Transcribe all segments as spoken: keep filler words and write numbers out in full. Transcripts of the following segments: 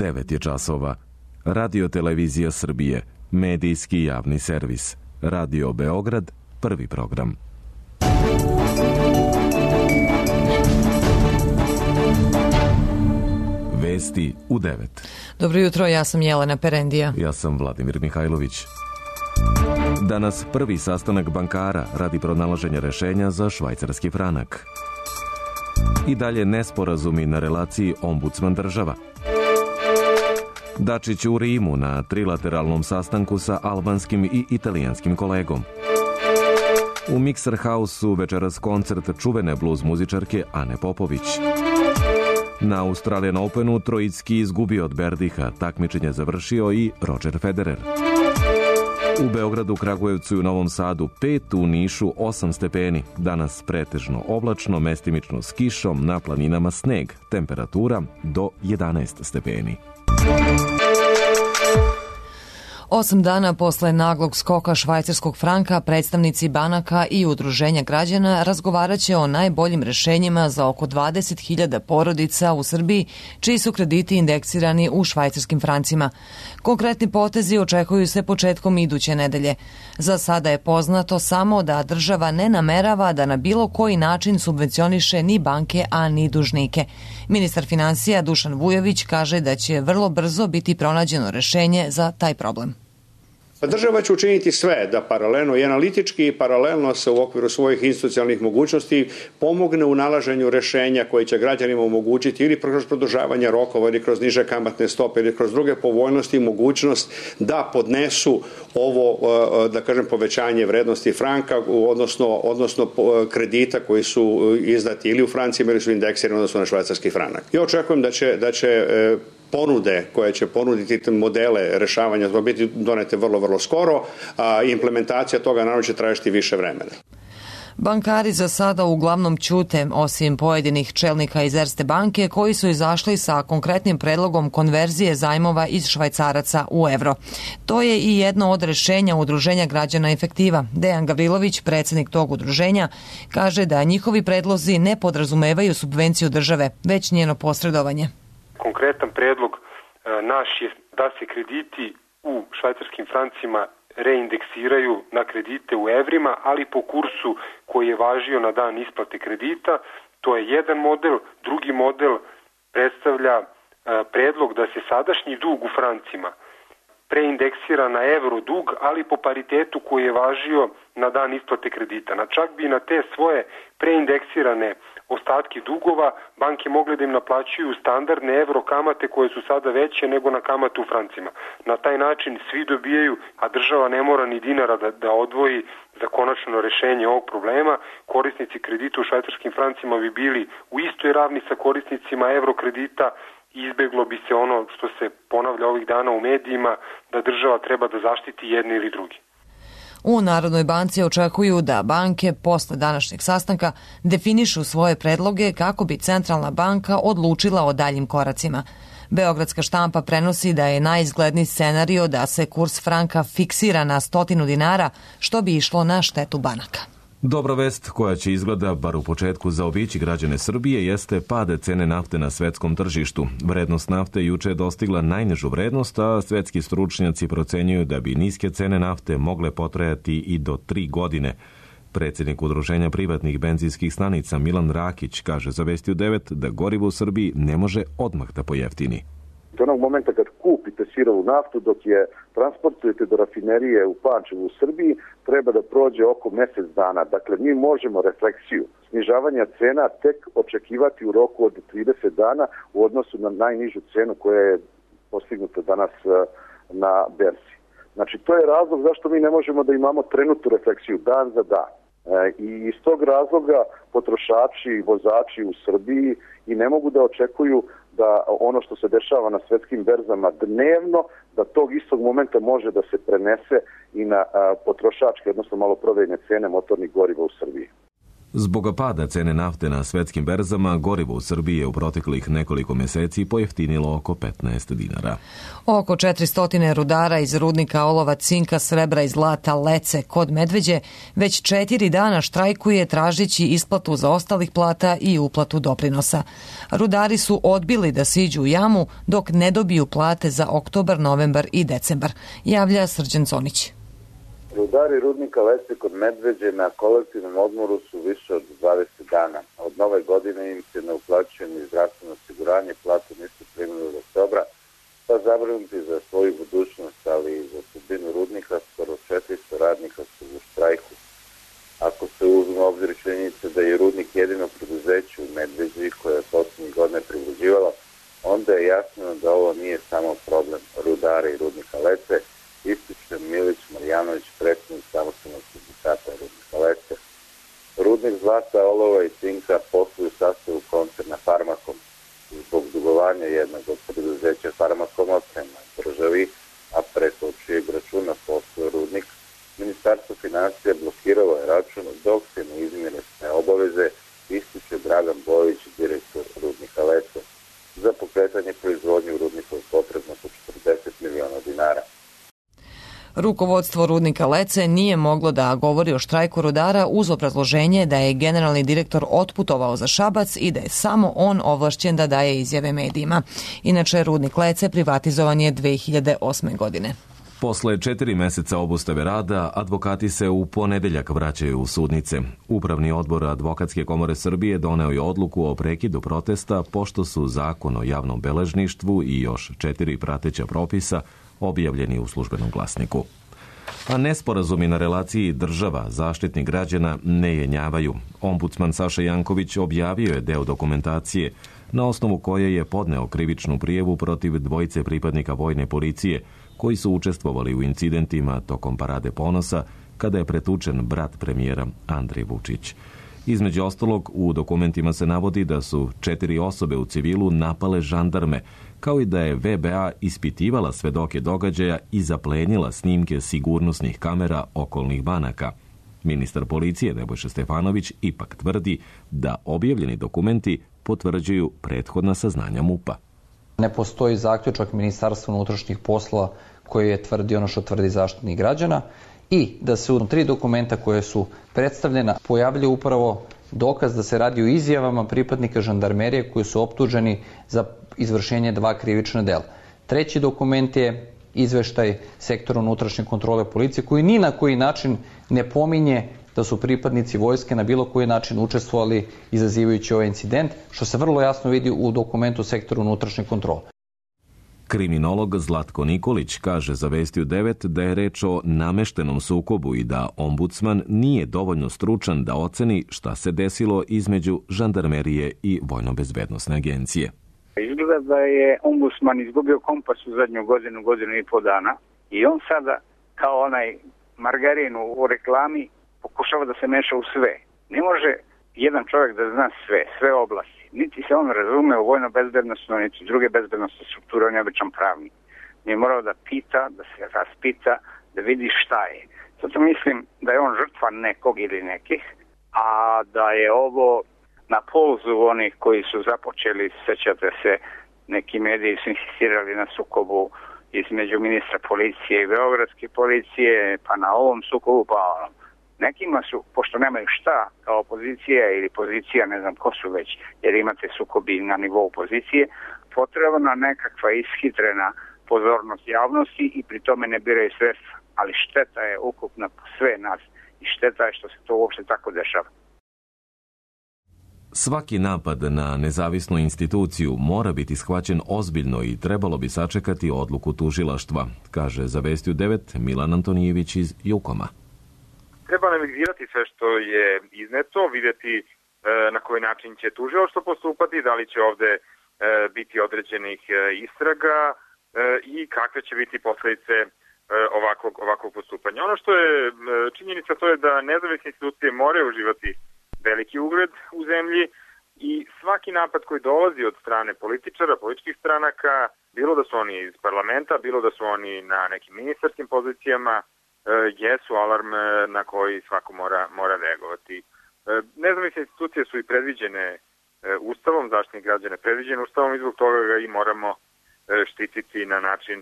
devet je časova. Radio Televizija Srbije, medijski javni servis. Radio Beograd, prvi program. Vesti u devet. Dobro jutro, ja sam Jelena Perendija. Ja sam Vladimir Mihajlović. Danas prvi sastanak bankara radi pronalaženja rešenja za švajcarski franak. I dalje nesporazumi na relaciji ombudsman država. Dačić u Rimu na trilateralnom sastanku sa albanskim i italijanskim kolegom. U Mixer House-u večeras koncert čuvene blues muzičarke Ane Popović. Na Australian Openu Trojicki izgubio od Berdiha, takmičenje završio i Roger Federer. U Beogradu, Kragujevcu i u Novom Sadu pet, u Nišu osam stepeni. Danas pretežno oblačno, mestimično s kišom, na planinama sneg. Temperatura do jedanaest stepeni. Osam dana posle naglog skoka švajcarskog franka, predstavnici banaka i udruženja građana razgovaraće o najboljim rešenjima za oko dvadeset hiljada porodica u Srbiji, čiji su krediti indeksirani u švajcarskim francima. Konkretni potezi očekuju se početkom iduće nedelje. Za sada je poznato samo da država ne namerava da na bilo koji način subvencioniše ni banke, a ni dužnike. Ministar finansija Dušan Vujović kaže da će vrlo brzo biti pronađeno rešenje za taj problem. Država će učiniti sve da paralelno i analitički i paralelno se u okviru svojih institucionalnih mogućnosti pomogne u nalaženju rešenja koje će građanima omogućiti ili kroz produžavanje rokova ili kroz niže kamatne stope ili kroz druge povoljnosti i mogućnost da podnesu ovo, da kažem, povećanje vrednosti franka, odnosno, odnosno kredita koji su izdati ili u francima ili su indeksirani odnosno na švajcarski franak. Ja očekujem da će, da će ponude koje će ponuditi modele rešavanja to biti donete vrlo, vrlo skoro, a implementacija toga naravno će trajati više vremena. Bankari za sada uglavnom ćute, osim pojedinih čelnika iz Erste banke koji su izašli sa konkretnim predlogom konverzije zajmova iz švajcaraca u evro. To je i jedno od rešenja Udruženja građana Efektiva. Dejan Gavrilović, predsjednik tog udruženja, kaže da njihovi predlozi ne podrazumevaju subvenciju države, već njeno posredovanje. Konkretan predlog naš je da se krediti u švajcarskim francima reindeksiraju na kredite u evrima, ali po kursu koji je važio na dan isplate kredita. To je jedan model. Drugi model predstavlja predlog da se sadašnji dug u francima preindeksira na evro dug, ali po paritetu koji je važio na dan isplate kredita. Na čak bi na te svoje preindeksirane ostatke dugova banke mogle da im naplaćuju standardne evro kamate koje su sada veće nego na kamatu u francima. Na taj način svi dobijaju, a država ne mora ni dinara da, da odvoji za konačno rešenje ovog problema. Korisnici kredita u švajcarskim francima bi bili u istoj ravni sa korisnicima evro kredita. Izbeglo bi se ono što se ponavlja ovih dana u medijima, da država treba da zaštiti jedni ili drugi. U Narodnoj banci očekuju da banke posle današnjeg sastanka definišu svoje predloge kako bi Centralna banka odlučila o daljim koracima. Beogradska štampa prenosi da je najizgledniji scenario da se kurs franka fiksira na stotinu dinara, što bi išlo na štetu banaka. Dobra vest koja će izgleda, bar u početku, zaobići građane Srbije jeste pad cene nafte na svetskom tržištu. Vrednost nafte juče je dostigla najnižu vrednost, a svetski stručnjaci procenjuju da bi niske cene nafte mogle potrajati i do tri godine. Predsjednik Udruženja privatnih benzinskih stanica Milan Rakić kaže za Vesti u devet da gorivo u Srbiji ne može odmah da pojeftini. Do onog momenta kad kupite sirovu naftu, dok je transportujete do rafinerije u Pančevu u Srbiji, treba da prođe oko mjesec dana. Dakle, mi možemo refleksiju snižavanja cena tek očekivati u roku od trideset dana u odnosu na najnižu cenu koja je postignuta danas na berzi. Znači, to je razlog zašto mi ne možemo da imamo trenutnu refleksiju dan za dan. I iz tog razloga potrošači i vozači u Srbiji i ne mogu da očekuju da ono što se dešava na svetskim berzama dnevno, da tog istog momenta može da se prenese i na potrošačke, odnosno maloprodajne cene motornih goriva u Srbiji. Zbog pada cene nafte na svetskim berzama, gorivo u Srbiji je u proteklih nekoliko meseci pojeftinilo oko petnaest dinara. Oko četiristo rudara iz rudnika olova, cinka, srebra i zlata Lece kod Medveđe već četiri dana štrajkuje tražići isplatu zaostalih plata i uplatu doprinosa. Rudari su odbili da siđu u jamu dok ne dobiju plate za oktobar, novembar i decembar, javlja Srđan Conić. Rudari rudnika Lece kod Medveđe na kolektivnom odmoru su više od dvadeset dana. Od nove godine im se ne uplaćuje ni zdravstveno osiguranje, platu nisu primili od oktobra, pa zabrinuti za svoju budućnost, ali i za sudbinu rudnika, skoro četiristo radnika su u štrajku. Ako se uzme u obzir činjenica da je rudnik jedino preduzeće u Medveđi koje je poslednjih godina privređivalo, onda je jasno da ovo nije samo problem rudara i rudnika Lece, ističe Milić Marjanović, predsjednik samostalnog sindikata rudnika Lece. Rudnik zlata, olova i cinka posluju u sastavu koncerna Farmakom. Zbog dugovanja jednog od preduzeća Farmakom prema državi, a preko čijeg računa posluje rudnik, Ministarstvo financija blokiralo je račun dok se ne izmire sve obaveze, ističe Dragan Bojić, direktor rudnika Lece. Za pokretanje proizvodnje u rudniku je potrebno oko četrdeset miliona dinara. Rukovodstvo rudnika Lece nije moglo da govori o štrajku rudara uz obrazloženje da je generalni direktor otputovao za Šabac i da je samo on ovlašćen da daje izjave medijima. Inače, rudnik Lece privatizovan je dve hiljade osme. godine. Posle četiri meseca obustave rada, advokati se u ponedeljak vraćaju u sudnice. Upravni odbor Advokatske komore Srbije doneo je odluku o prekidu protesta pošto su Zakon o javnom beležništvu i još četiri prateća propisa objavljeni u Službenom glasniku. A nesporazumi na relaciji država-zaštitnik građana ne jenjavaju. Ombudsman Saša Janković objavio je deo dokumentacije na osnovu koje je podneo krivičnu prijavu protiv dvojice pripadnika vojne policije koji su učestvovali u incidentima tokom Parade ponosa kada je pretučen brat premijera Andrej Vučić. Između ostalog, u dokumentima se navodi da su četiri osobe u civilu napale žandarme, kao i da je V B A ispitivala svedoke događaja i zaplenila snimke sigurnosnih kamera okolnih banaka. Ministar policije Nebojša Stefanović ipak tvrdi da objavljeni dokumenti potvrđuju prethodna saznanja MUP-a. Ne postoji zaključak Ministarstva unutrašnjih poslova koji je tvrdi ono što tvrdi Zaštitnik građana i da se u tri dokumenta koje su predstavljena pojavljaju upravo dokaz da se radi o izjavama pripadnika žandarmerije koji su optuženi za izvršenje dva krivična dela. Treći dokument je izveštaj sektora unutrašnje kontrole policije koji ni na koji način ne pominje da su pripadnici vojske na bilo koji način učestvovali izazivajući ovaj incident, što se vrlo jasno vidi u dokumentu sektora unutrašnje kontrole. Kriminolog Zlatko Nikolić kaže za Vestiju devet da je reč o nameštenom sukobu i da ombudsman nije dovoljno stručan da oceni šta se desilo između žandarmerije i Vojno-bezbednosne agencije. Izgleda da je ombudsman izgubio kompas u zadnju godinu, godinu i po dana i on sada kao onaj margarin u reklami pokušava da se meša u sve. Ne može jedan čovjek da zna sve, sve oblasti. Niti se on razume u vojno-bezbednostno, niti druge bezbednostne strukture, on je običan pravnik. Je morao da pita, da se raspita, da vidi šta je. Zato mislim da je on žrtva nekog ili nekih, a da je ovo na polzu onih koji su započeli, sećate se, neki mediji su insistirali na sukobu između ministra policije i beogradske policije, pa na ovom sukobu, pa onom. Nekima su, pošto nemaju šta kao opozicija ili pozicija, ne znam ko su već, jer imate sukobi na nivou pozicije, potrebna nekakva ishitrena pozornost javnosti i pri tome ne biraju sredstva. Ali šteta je ukupna po sve nas i šteta je što se to uopšte tako dešava. Svaki napad na nezavisnu instituciju mora biti shvaćen ozbiljno i trebalo bi sačekati odluku tužilaštva, kaže za Vestiju devet Milan Antonijević iz Jukoma. Treba analizirati sve što je izneto, vidjeti e, na koji način će tužilaštvo postupati, da li će ovde e, biti određenih e, istraga e, i kakve će biti posledice e, ovakvog, ovakvog postupanja. Ono što je e, činjenica to je da nezavisne institucije moraju uživati veliki ugled u zemlji i svaki napad koji dolazi od strane političara, političkih stranaka, bilo da su oni iz parlamenta, bilo da su oni na nekim ministarskim pozicijama, jesu alarm na koji svako mora, mora reagovati. Nezavisne institucije su i predviđene Ustavom, Zaštitnik građana je predviđen Ustavom i zbog toga ga i moramo štititi na način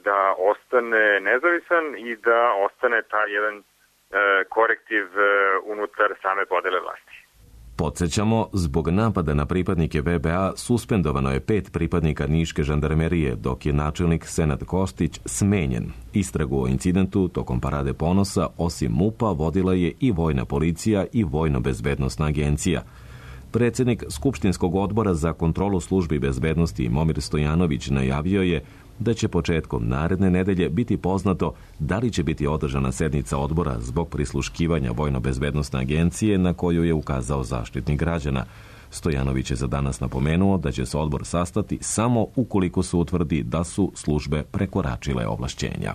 da ostane nezavisan i da ostane taj jedan korektiv unutar same podele vlasti. Podsjećamo, zbog napada na pripadnike V B A suspendovano je pet pripadnika niške žandarmerije, dok je načelnik Senad Kostić smenjen. Istragu o incidentu tokom Parade ponosa, osim MUP-a, vodila je i Vojna policija i Vojno-bezbednosna agencija. Predsjednik Skupštinskog odbora za kontrolu službi bezbednosti Momir Stojanović najavio je da će početkom naredne nedelje biti poznato da li će biti održana sednica odbora zbog prisluškivanja Vojno-bezbednosne agencije na koju je ukazao Zaštitnik građana. Stojanović je za danas napomenuo da će se odbor sastati samo ukoliko se utvrdi da su službe prekoračile ovlašćenja.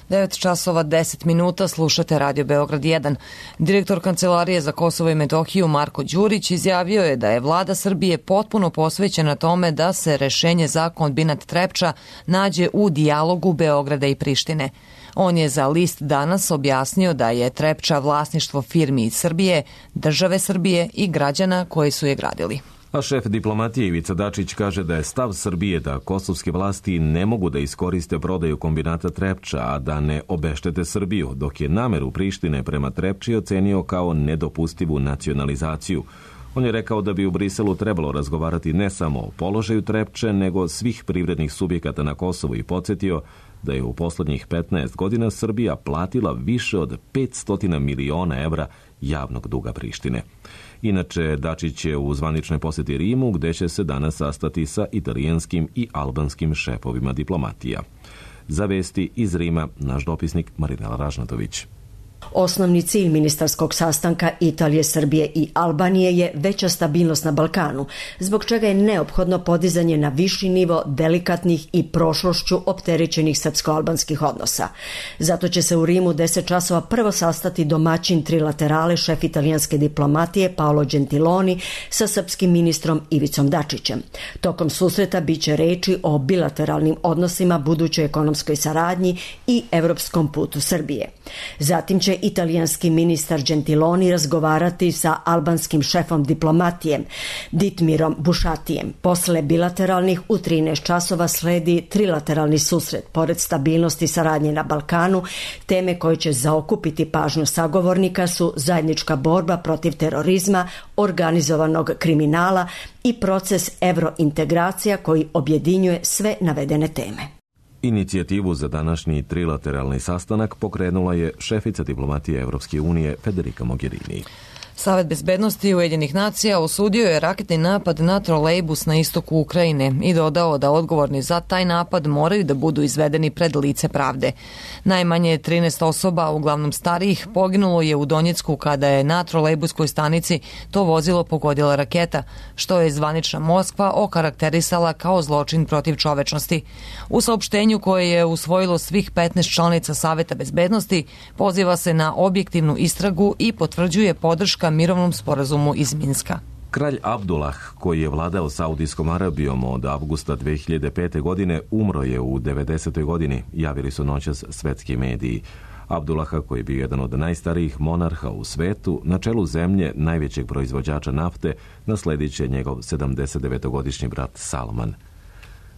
devet časova deset minuta, slušate Radio Beograd jedan. Direktor Kancelarije za Kosovo i Metohiju Marko Đurić izjavio je da je vlada Srbije potpuno posvećena tome da se rešenje za kombinat Trepča nađe u dijalogu Beograda i Prištine. On je za List danas objasnio da je Trepča vlasništvo firmi iz Srbije, države Srbije i građana koji su je gradili. A šef diplomatije Ivica Dačić kaže da je stav Srbije da kosovske vlasti ne mogu da iskoriste prodaju kombinata Trepča, a da ne obeštete Srbiju, dok je nameru Prištine prema Trepči ocenio kao nedopustivu nacionalizaciju. On je rekao da bi u Briselu trebalo razgovarati ne samo o položaju Trepče, nego svih privrednih subjekata na Kosovu i podsjetio da je u poslednjih petnaest godina Srbija platila više od petsto miliona evra javnog duga Prištine. Inače, Dačić je u zvaničnoj posjeti Rimu, gde će se danas sastati sa italijanskim i albanskim šefovima diplomatija. Za vesti iz Rima, naš dopisnik Marinela Ražnatović. Osnovni cilj ministarskog sastanka Italije, Srbije i Albanije je veća stabilnost na Balkanu, zbog čega je neophodno podizanje na viši nivo delikatnih i prošlošću opterećenih srpsko-albanskih odnosa. Zato će se u Rimu deset časova prvo sastati domaćin trilaterale šef italijanske diplomatije Paolo Gentiloni sa srpskim ministrom Ivicom Dačićem. Tokom susreta biće reči o bilateralnim odnosima, budućoj ekonomskoj saradnji i evropskom putu Srbije. Zatim će italijanski ministar Gentiloni razgovarati sa albanskim šefom diplomatije Ditmirom Bušatijem. Posle bilateralnih u trinaest časova sledi trilateralni susret. Pored stabilnosti i saradnje na Balkanu, teme koje će zaokupiti pažnju sagovornika su zajednička borba protiv terorizma, organizovanog kriminala i proces evrointegracija koji objedinjuje sve navedene teme. Inicijativu za današnji trilateralni sastanak pokrenula je šefica diplomatije Evropske unije Federica Mogherini. Savet bezbednosti Ujedinjenih nacija osudio je raketni napad na trolejbus na istoku Ukrajine i dodao da odgovorni za taj napad moraju da budu izvedeni pred lice pravde. Najmanje trinaest osoba, uglavnom starijih, poginulo je u Donjecku kada je na trolejbuskoj stanici to vozilo pogodila raketa, što je zvanična Moskva okarakterisala kao zločin protiv čovečnosti. U saopštenju koje je usvojilo svih petnaest članica Saveta bezbednosti poziva se na objektivnu istragu i potvrđuje podrška mirovnom sporazumu iz Minska. Kralj Abdullah, koji je vladao Saudijskom Arabijom od avgusta dve hiljade pete. godine, umro je u devedesetoj godini, javili su noćas svetski mediji. Abdullaha, koji je bio jedan od najstarijih monarha u svetu, na čelu zemlje najvećeg proizvođača nafte, nasledit će njegov sedamdesetdevetogodišnji brat Salman.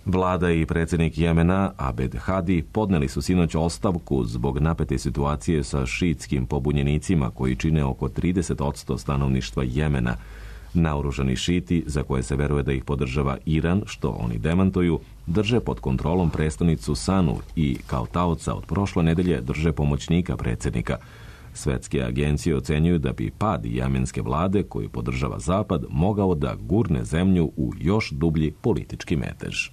Vlada i predsjednik Jemena, Abed Hadi, podneli su sinoć ostavku zbog napete situacije sa šiitskim pobunjenicima koji čine oko trideset posto stanovništva Jemena. Naoružani šiti, za koje se veruje da ih podržava Iran, što oni demantuju, drže pod kontrolom prestonicu Sanu i kao taoca od prošle nedelje drže pomoćnika predsjednika. Svetske agencije ocenjuju da bi pad jemenske vlade, koju podržava Zapad, mogao da gurne zemlju u još dublji politički metež.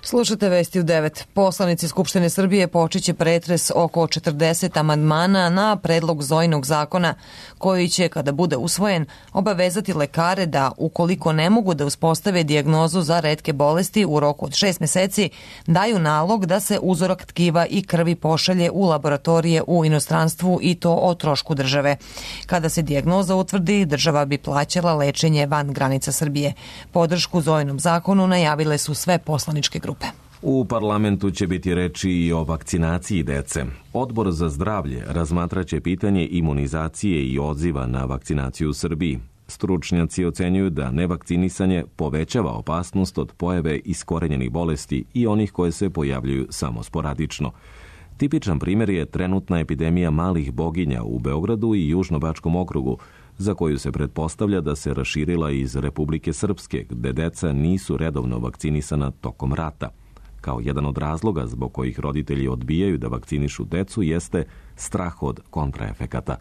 Slušate vesti u devet. Poslanici Skupštine Srbije počeće pretres oko četrdeset amandmana na predlog Zojinog zakona, koji će, kada bude usvojen, obavezati lekare da, ukoliko ne mogu da uspostave dijagnozu za retke bolesti u roku od šest meseci, daju nalog da se uzorak tkiva i krvi pošalje u laboratorije u inostranstvu i to o trošku države. Kada se dijagnoza utvrdi, država bi plaćala lečenje van granica Srbije. Podršku Zojinom zakonu najavile su sve poslaničke grupe. U parlamentu će biti reči i o vakcinaciji dece. Odbor za zdravlje razmatraće pitanje imunizacije i odziva na vakcinaciju u Srbiji. Stručnjaci ocenjuju da nevakcinisanje povećava opasnost od pojave iskorenjenih bolesti i onih koje se pojavljuju samo sporadično. Tipičan primjer je trenutna epidemija malih boginja u Beogradu i Južnobačkom okrugu, za koju se pretpostavlja da se raširila iz Republike Srpske, gde deca nisu redovno vakcinisana tokom rata. Kao jedan od razloga zbog kojih roditelji odbijaju da vakcinišu decu jeste strah od kontraefekata.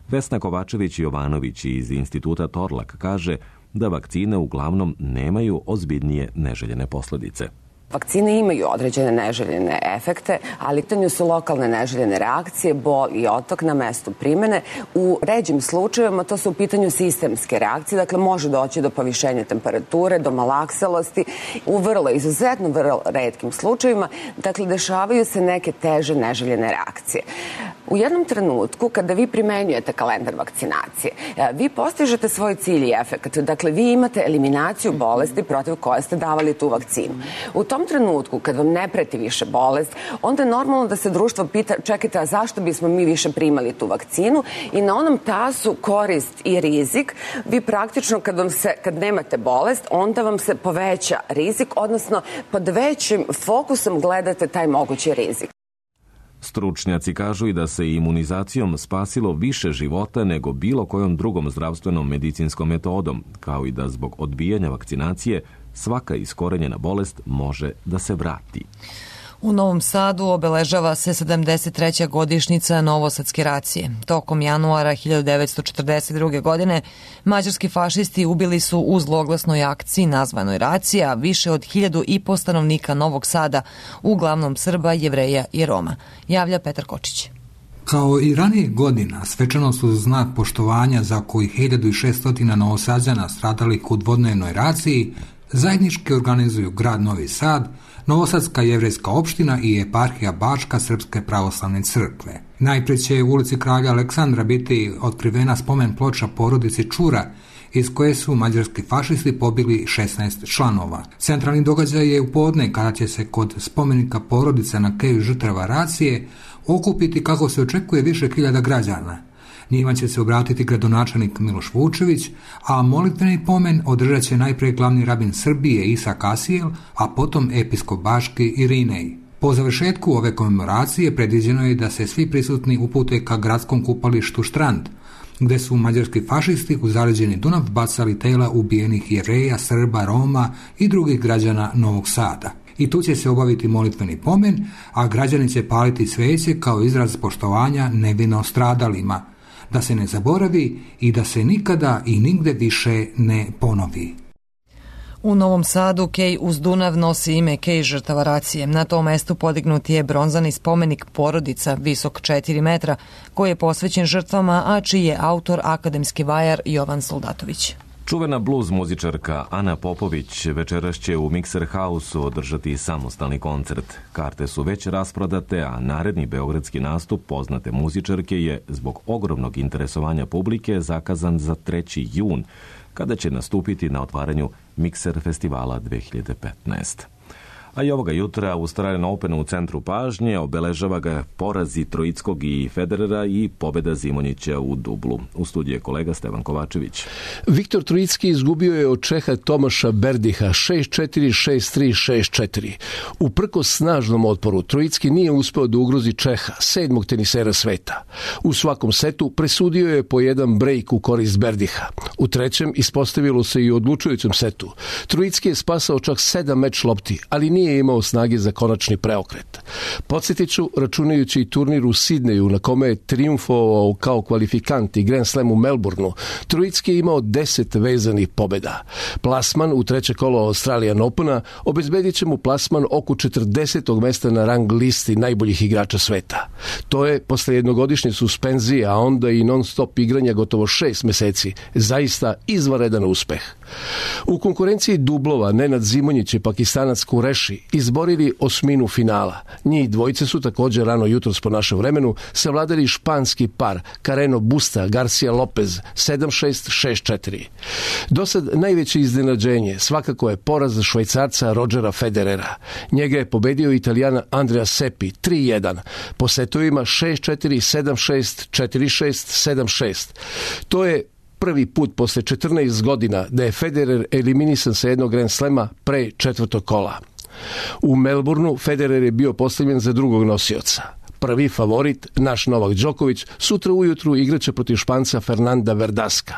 Vesna Kovačević-Jovanović iz Instituta Torlak kaže da vakcine uglavnom nemaju ozbiljnije neželjene posljedice. Vakcine imaju određene neželjene efekte, ali pitanju su lokalne neželjene reakcije, bol i otok na mestu primene. U ređim slučajevima to su u pitanju sistemske reakcije, dakle može doći do povišenja temperature, do malakselosti. U vrlo, izuzetno vrlo retkim slučajevima, dakle dešavaju se neke teže neželjene reakcije. U jednom trenutku, kada vi primenjujete kalendar vakcinacije, vi postižete svoj cilj i efekt. Dakle, vi imate eliminaciju bolesti protiv koje ste davali tu vakcinu. U tom trenutku, kad vam ne preti više bolest, onda je normalno da se društvo pita, čekajte, a zašto bismo mi više primali tu vakcinu? I na onom tasu korist i rizik, vi praktično kad, vam se, kad nemate bolest, onda vam se poveća rizik, odnosno pod većim fokusom gledate taj mogući rizik. Stručnjaci kažu i da se imunizacijom spasilo više života nego bilo kojom drugom zdravstvenom medicinskom metodom, kao i da zbog odbijanja vakcinacije svaka iskorenjena bolest može da se vrati. U Novom Sadu obeležava se sedamdeset treća godišnjica Novosadske racije. Tokom januara hiljadu devetsto četrdeset druge. godine mađarski fašisti ubili su u zloglasnoj akciji nazvanoj racija više od hiljadu i po stanovnika Novog Sada, uglavnom Srba, Jevreja i Roma. Javlja Petar Kočić. Kao i ranije godina, svečanost uz znak poštovanja za koji hiljadu šesto Novosađana stradalih u dvodnevnoj raciji zajednički organizuju grad Novi Sad, Novosadska jevrejska opština i eparhija Bačka Srpske pravoslavne crkve. Najprije će u ulici Kralja Aleksandra biti otkrivena spomen ploča porodici Čura, iz koje su mađarski fašisti pobili šesnaest članova. Centralni događaj je u podne kada će se kod spomenika porodice na keju žrtava racije okupiti, kako se očekuje, više hiljada građana. Njima će se obratiti gradonačelnik Miloš Vučević, a molitveni pomen održat će najprije glavni rabin Srbije Isa Kasijel, a potom episkop Baški Irinej. Po završetku ove komemoracije predviđeno je da se svi prisutni upute ka gradskom kupalištu Štrand, gde su mađarski fašisti u zaleđeni Dunav bacali tela ubijenih Jevreja, Srba, Roma i drugih građana Novog Sada. I tu će se obaviti molitveni pomen, a građani će paliti sveće kao izraz poštovanja nevino stradalima, da se ne zaboravi i da se nikada i nigde više ne ponovi. U Novom Sadu kej uz Dunav nosi ime kej žrtava racije. Na tom mestu podignut je bronzani spomenik porodica visok četiri metra, koji je posvećen žrtvama, a čiji je autor akademski vajar Jovan Soldatović. Čuvena bluz muzičarka Ana Popović večeras će u Mikser Hausu održati samostalni koncert. Karte su već rasprodate, a naredni beogradski nastup poznate muzičarke je zbog ogromnog interesovanja publike zakazan za treći jun, kada će nastupiti na otvaranju Mikser festivala dve hiljade petnaeste. A i ovoga jutra u Australian Openu u centru pažnje obeležava ga porazi Troickog i Federera i pobjeda Zimonjića u dublu. U studiju je kolega Stevan Kovačević. Viktor Troicki izgubio je od Čeha Tomaša Berdiha šest četiri, šest tri, šest četiri. Uprkos snažnom otporu, Troicki nije uspeo da ugrozi Čeha, sedmog tenisera sveta. U svakom setu presudio je po jedan brejk u korist Berdiha. U trećem ispostavilo se i u odlučujućem setu. Troicki je spasao čak sedam meč lopti, ali nije imao snage za konačni preokret. Podsjetiću, računajući i turnir u Sidneju, na kome je triumfovao kao kvalifikant i Grand Slam u Melbourneu, Troicki je imao deset vezanih pobjeda. Plasman u treće kolo Australian Opena obezbedit će mu plasman oko četrdesetog mesta na rang listi najboljih igrača sveta. To je, posle jednogodišnje suspenzije, a onda i non-stop igranja gotovo šest meseci, zaista zaista izvanredan uspeh. U konkurenciji dublova Nenad Zimonjić i Pakistanac Kureši izborili osminu finala. Njih dvojice su također rano jutros po našem vremenu savladali španski par Carreno Busta Garcia Lopez sedam šest šest četiri. Dosad najveće iznenađenje svakako je poraz Švajcarca Rodgera Federera. Njega je pobedio Italijan Andrea Seppi tri jedan po setovima šest četiri, sedam šest, četiri šest, sedam šest. To je prvi put posle četrnaest godina da je Federer eliminisan sa jednog Grand Slema pre četvrtog kola. U Melbourneu Federer je bio postavljen za drugog nosioca. Prvi favorit, naš Novak Đoković, sutra ujutru igraće protiv Španca Fernanda Verdaska.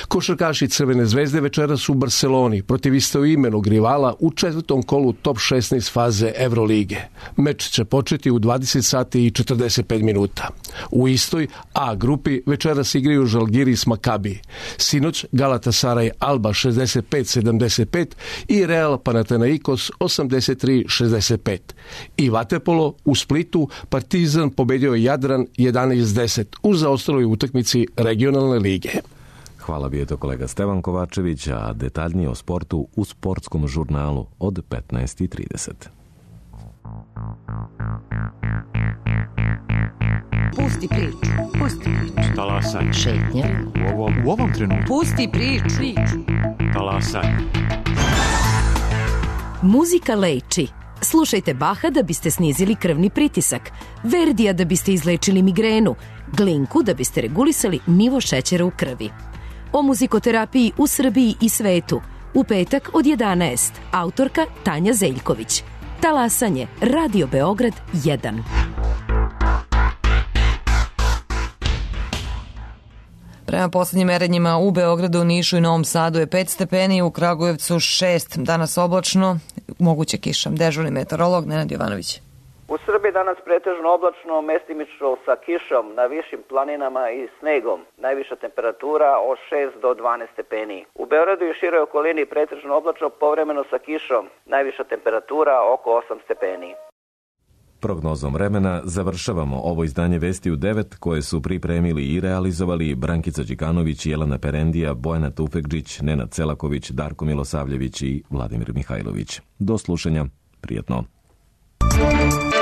Košarkaši Crvene zvezde večeras u Barceloni protiv istoimenog rivala u četvrtom kolu top šesnaest faze Evrolige. Meč će početi u dvadeset sati i četrdeset pet minuta. U istoj A grupi večeras igraju Žalgiris Makabi. Sinoć Galatasaray Alba šezdeset pet sedamdeset pet i Real Panathinaikos osamdeset tri šezdeset pet. I vaterpolo u Splitu Partizan pobedio Jadran jedanaest deset u zaostaloj utakmici regionalne lige. Hvala, bio je to kolega Stevan Kovačević, a detaljnije o sportu u sportskom žurnalu od petnaest i trideset. Pusti priču, pusti priču. Talasaj. Šetnja. U ovom, u ovom trenutku. Pusti priču. Talasaj. Muzika leči. Slušajte Baha da biste snizili krvni pritisak, Verdija da biste izlečili migrenu, Glinku da biste regulisali nivo šećera u krvi. O muzikoterapiji u Srbiji i svetu. U petak od jedanaest. Autorka Tanja Zeljković. Talasanje. Radio Beograd jedan. Prema poslednjim merenjima u Beogradu, Nišu i Novom Sadu je pet stepeni, u Kragujevcu šest. Danas oblačno, moguće kiša. Dežurni meteorolog Nenad Jovanović. U Srbiji danas pretežno oblačno, mestimično sa kišom na višim planinama i snegom. Najviša temperatura od šest do dvanaest stepeni. U Beogradu i široj okolini pretežno oblačno, povremeno sa kišom. Najviša temperatura oko osam stepeni. Prognozom vremena završavamo ovo izdanje Vesti u devet koje su pripremili i realizovali Brankica Đikanović, Jelena Perendija, Bojana Tufekđić, Nenad Celaković, Darko Milosavljević i Vladimir Mihajlović. Do slušanja, prijatno. Thank you.